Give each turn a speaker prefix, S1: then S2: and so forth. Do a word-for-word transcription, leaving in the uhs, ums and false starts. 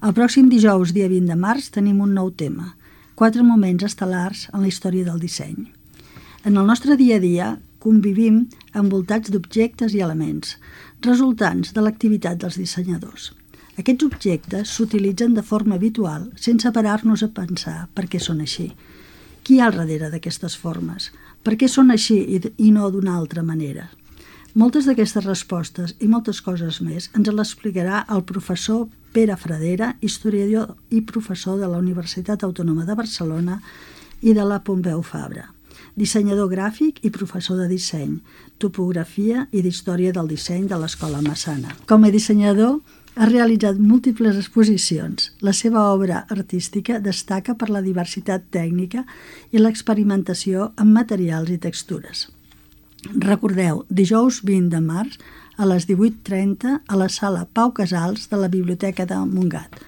S1: El pròxim dijous, dia vint de març, tenim un nou tema, quatre moments estel·lars en la història del disseny. En el nostre dia a dia convivim envoltats d'objectes i elements, resultants de l'activitat dels dissenyadors. Aquests objectes s'utilitzen de forma habitual sense parar-nos a pensar per què són així. Qui hi ha al darrere d'aquestes formes? Per què són així i no d'una altra manera? Moltes d'aquestes respostes i moltes coses més ens les explicarà el professor Pere Fradera, historiador i professor de la Universitat Autònoma de Barcelona i de la Pompeu Fabra, dissenyador gràfic i professor de disseny, topografia i d'història del disseny de l'Escola Massana. Com a dissenyador, ha realitzat múltiples exposicions. La seva obra artística destaca per la diversitat tècnica i l'experimentació amb materials i textures. Recordeu, dijous vint de març a les divuit trenta a la sala Pau Casals de la Biblioteca de Montgat.